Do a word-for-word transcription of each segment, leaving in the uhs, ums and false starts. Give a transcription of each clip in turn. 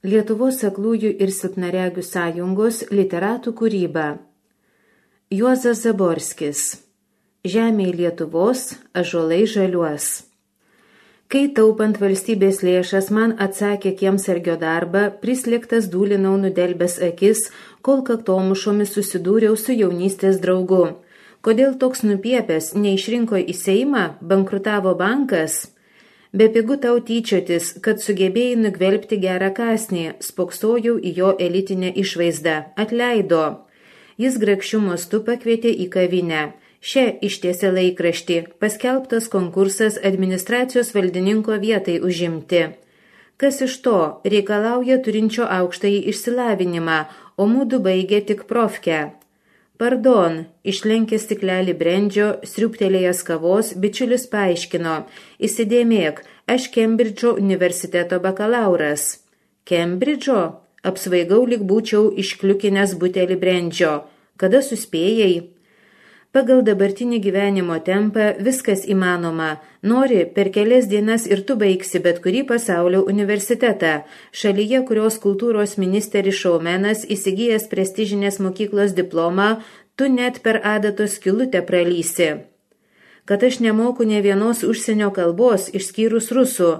Lietuvos aklųjų ir silpnaregių sąjungos literatų kūryba. Juozas Zaborskis. Žemėj Lietuvos, ąžuolai žaliuos. Kai taupant valstybės lėšas man atsakė kiemsargio darbą, prislėgtas dūlinau nudelbęs akis, kol kaktomušomis susidūriau su jaunystės draugu. Kodėl toks nupiepęs neišrinko į Seimą, bankrutavo bankas? Bepigu tau tyčiotis, kad sugebėjai nugvelbti gerą kąsnį, spoksojau į jo elitinę išvaizdą. Atleido. Jis grakščiu mostu pakvietė į kavinę. Šia ištiesė laikraštį, paskelbtas konkursas administracijos valdininko vietai užimti. Kas iš to, reikalauja turinčio aukštąjį išsilavinimą, o mūdu baigė tik profkę. Pardon, išlenkė stiklelį brendžio, sriubtelėjęs kavos, bičiulis paaiškino. Įsidėmėk, aš Kembridžo universiteto bakalauras. Kembridžo? Apsvaigau, lyg būčiau iškliukinęs butelį brendžio. Kada suspėjai? Pagal dabartinį gyvenimo tempą viskas įmanoma. Nori, per kelias dienas ir tu baigsi bet kurį pasaulio universitetą. Šalyje, kurios kultūros ministeris šaumenas įsigijęs prestižinės mokyklos diplomą, tu net per adatos skylutę pralysi. Kad aš nemoku ne vienos užsienio kalbos, išskyrus rusų.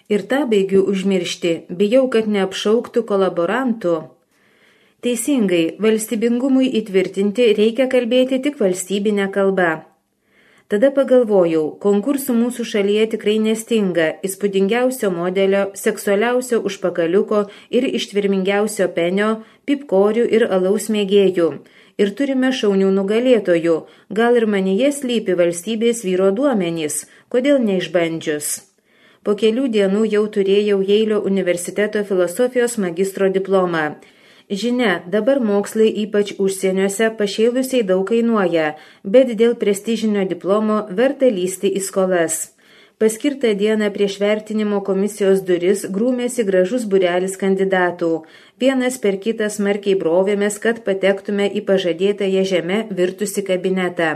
Ir tą baigiu užmiršti, bijau, kad neapšauktų kolaborantų. Teisingai, valstybingumui įtvirtinti reikia kalbėti tik valstybinę kalbą. Tada pagalvojau, konkursų mūsų šalyje tikrai nestinga, įspūdingiausio modelio, seksualiausio užpakaliuko ir ištvermingiausio penio, pipkorių ir alaus mėgėjų. Ir turime šaunių nugalėtojų, gal ir manyje slypi valstybės vyro duomenys, kodėl neišbandžius. Po kelių dienų jau turėjau Jeilio universiteto filosofijos magistro diplomą. Žinia, dabar mokslai ypač užsieniuose pašėlusiai daug kainuoja, bet dėl prestižinio diplomo verta lysti į skolas. Paskirtą dieną prieš vertinimo komisijos duris grūmėsi gražus būrelis kandidatų. Vienas per kitą smarkiai brovėmės, kad patektume į pažadėtąją žemę virtusi kabinetą.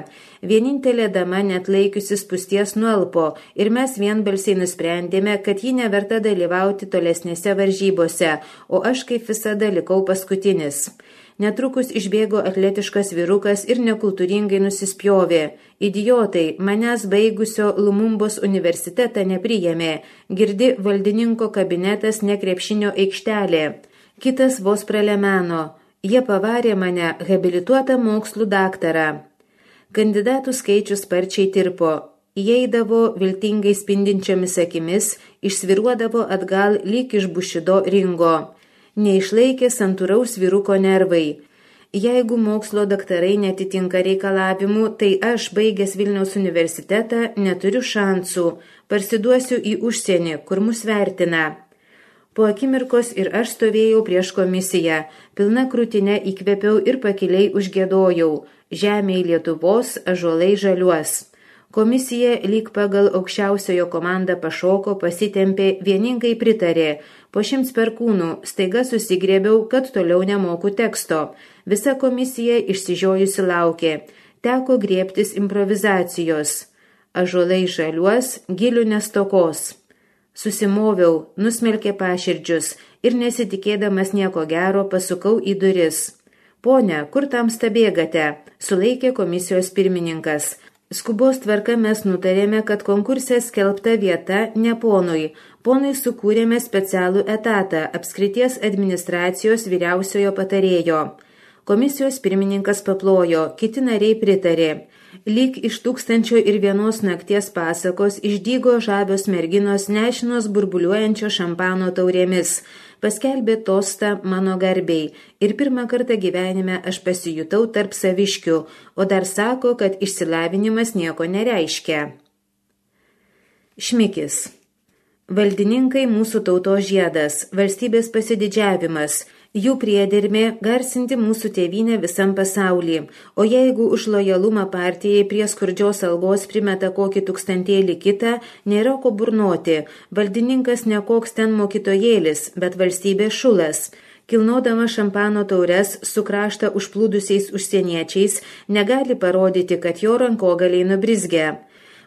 Vienintelė dama net laikiusi spūsties nualpo ir mes vienbalsiai nusprendėme, kad ji neverta dalyvauti tolesnėse varžybose, o aš kaip visada likau paskutinis. Netrukus išbėgo atletiškas vyrukas ir nekultūringai nusispjovė. Idiotai, manęs baigusio Lumumbos universitetą nepriėmė. Girdi, valdininko kabinetas ne krepšinio aikštelė. Kitas vos pralemeno. Jie pavarė mane habilituotą mokslų daktarą. Kandidatų skaičius sparčiai tirpo. Įeidavo viltingai spindinčiomis akimis, išsviruodavo atgal lyg iš Bušido ringo. Neišlaikė santūraus vyruko nervai. Jeigu mokslo daktarai netitinka reikalavimų, tai aš, baigęs Vilniaus universitetą, neturiu šansų. Parsiduosiu į užsienį, kur mus vertina. Po akimirkos ir aš stovėjau prieš komisiją. Pilna krūtinė įkvėpiau ir pakiliai užgiedojau. Žemėj Lietuvos, ąžuolai žaliuos. Komisija lyg pagal aukščiausiojo komandą pašoko, pasitempė, vieningai pritarė. Po šimts perkūnų staiga susigrėbiau, kad toliau nemoku teksto. Visa komisija išsižiojusi laukė. Teko griebtis improvizacijos. Ąžuolai žaliuos, gilių nestokos. Susimoviau, nusmelkė paširdžius ir nesitikėdamas nieko gero pasukau į duris. Pone, kur tamsta bėgate? Sulaikė komisijos pirmininkas. Skubos tvarka mes nutarėme, kad konkurse skelbta vieta ne ponui. Ponui sukūrėme specialų etatą apskrities administracijos vyriausiojo patarėjo. Komisijos pirmininkas paplojo, kiti nariai pritarė. Lyg iš tūkstančio ir vienos nakties pasakos išdygo žabios merginos nešinos burbuliuojančio šampano taurėmis. Paskelbė tostą mano garbiai ir pirmą kartą gyvenime aš pasijutau tarp saviškių, o dar sako, kad išsilavinimas nieko nereiškia. Šmikis. Valdininkai mūsų tautos žiedas, valstybės pasididžiavimas, jų priedermė garsinti mūsų tėvynę visam pasaulį, o jeigu už lojalumą partijai prie skurdžios algos primeta kokį tūkstantėlį kitą, nėra ko burnoti, valdininkas ne koks ten mokytojėlis, bet valstybės šulas. Kilnodama šampano taures su kraštą užplūdusiais užsieniečiais, negali parodyti, kad jo rankogaliai nubrizgia.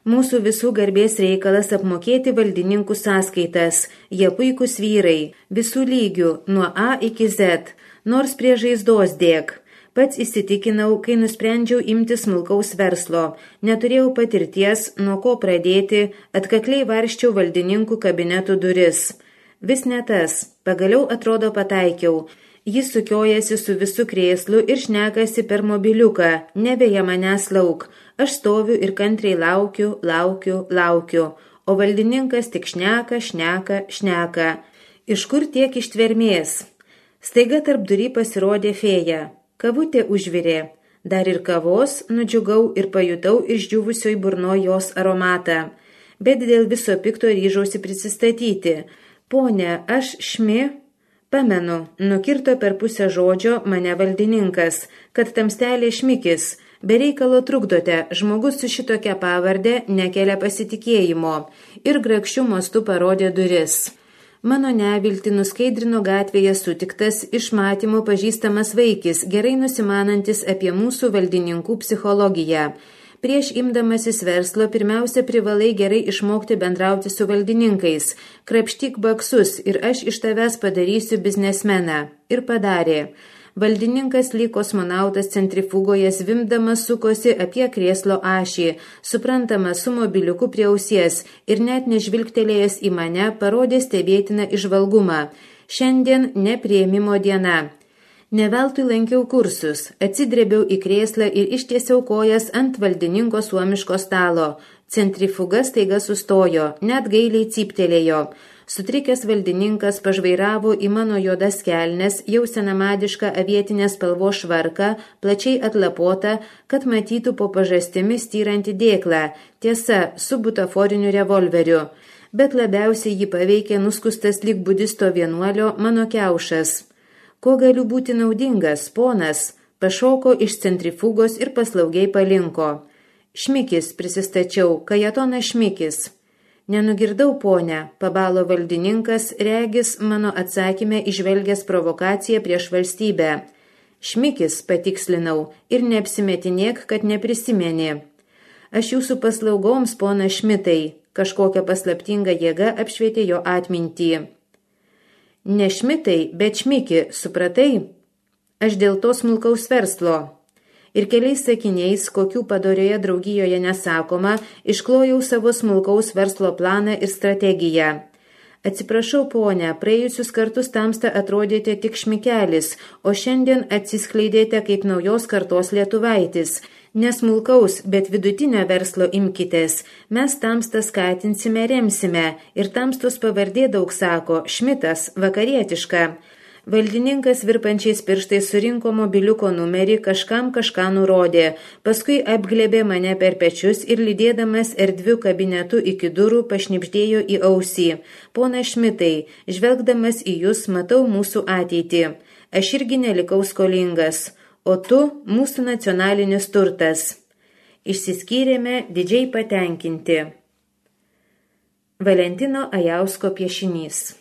Mūsų visų garbės reikalas apmokėti valdininkų sąskaitas. Jie puikūs vyrai, visų lygių, nuo A iki Z, nors prie žaizdos dėk. Pats įsitikinau, kai nusprendžiau imti smulkaus verslo. Neturėjau patirties, nuo ko pradėti, atkakliai varščiau valdininkų kabinetų duris. Vis ne tas, pagaliau atrodo pataikiau. Jis sukiojasi su visu krėslu ir šnekasi per mobiliuką, nebeja manęs lauk. Aš stoviu ir kantriai laukiu, laukiu, laukiu, o valdininkas tik šneka, šneka, šneka. Iš kur tiek ištvermės? Staiga tarp durį pasirodė fėja. Kavutė užvirė. Dar ir kavos nudžiugau ir pajutau išdžiūvusioj burnoj jos aromatą. Bet dėl viso pikto ryžausi prisistatyti. Pone, aš Šmi? Pamenu, nukirto per pusę žodžio mane valdininkas, kad tamstelė Šmikis. Be reikalo trukdote, žmogus su šitokia pavardė nekelia pasitikėjimo. Ir grakščiu mostu parodė duris. Mano neviltį nuskaidrino gatvėje sutiktas iš matymo pažįstamas vaikis, gerai nusimanantis apie mūsų valdininkų psichologiją. Prieš imdamasis verslo pirmiausia privalai gerai išmokti bendrauti su valdininkais. Krapštyk baksus ir aš iš tavęs padarysiu biznesmeną. Ir padarė. Valdininkas lyg kosmonautas centrifugoje zvimdamas sukosi apie krėslo ašį, suprantama su mobiliuku prie ausies ir net nežvilgtelėjęs į mane parodė stebėtiną įžvalgumą. Šiandien nepriėmimo diena. Neveltui lankiau kursus, atsidrėbiau į krėslą ir ištiesiau kojas ant valdininko suomiško stalo. Centrifuga staiga sustojo, net gailiai cyptelėjo. Sutrikęs valdininkas pažvairavo į mano juodas kelnes, jau senamadišką avietinės spalvos švarką, plačiai atlapotą, kad matytų po pažastimi styrantį dėklą, tiesa, su butaforiniu revolveriu. Bet labiausiai jį paveikė nuskustas lyg budisto vienuolio mano kiaušas. Ko galiu būti naudingas, ponas? Pašoko iš centrifugos ir paslaugiai palinko. Šmikis, prisistačiau, Kajetonas Šmikis. Nenugirdau, ponia, pabalo valdininkas, regis mano atsakymę išvelgęs provokaciją prieš valstybę. Šmikis, patikslinau, ir neapsimetinėk, kad neprisimeni. Aš jūsų paslaugoms, pona Šmitai, kažkokia paslaptinga jėga apšvietė jo atmintį. Ne Šmitai, bet Šmiki, supratai? Aš dėl to smulkaus verslo. Ir keliais sakiniais, kokių padorioje draugijoje nesakoma, išklojau savo smulkaus verslo planą ir strategiją. Atsiprašau, ponia, praėjusius kartus tamsta atrodėte tik Šmikelis, o šiandien atsiskleidėte kaip naujos kartos lietuvaitis. Nesmulkaus, bet vidutinio verslo imkitės. Mes tamstą skatinsime, remsime. Ir tamstos pavardė daug sako, Šmitas, vakarietiška. Valdininkas virpančiais pirštais surinko mobiliuko numerį, kažkam kažką nurodė, paskui apglėbė mane per pečius ir lydėdamas erdviu kabinetu iki durų pašnibždėjo į ausį. Pona Šmitai, žvelgdamas į jūs matau mūsų ateitį. Aš irgi nelikau skolingas, o tu mūsų nacionalinis turtas. Išsiskyrėme didžiai patenkinti. Valentino Ajausko piešinys.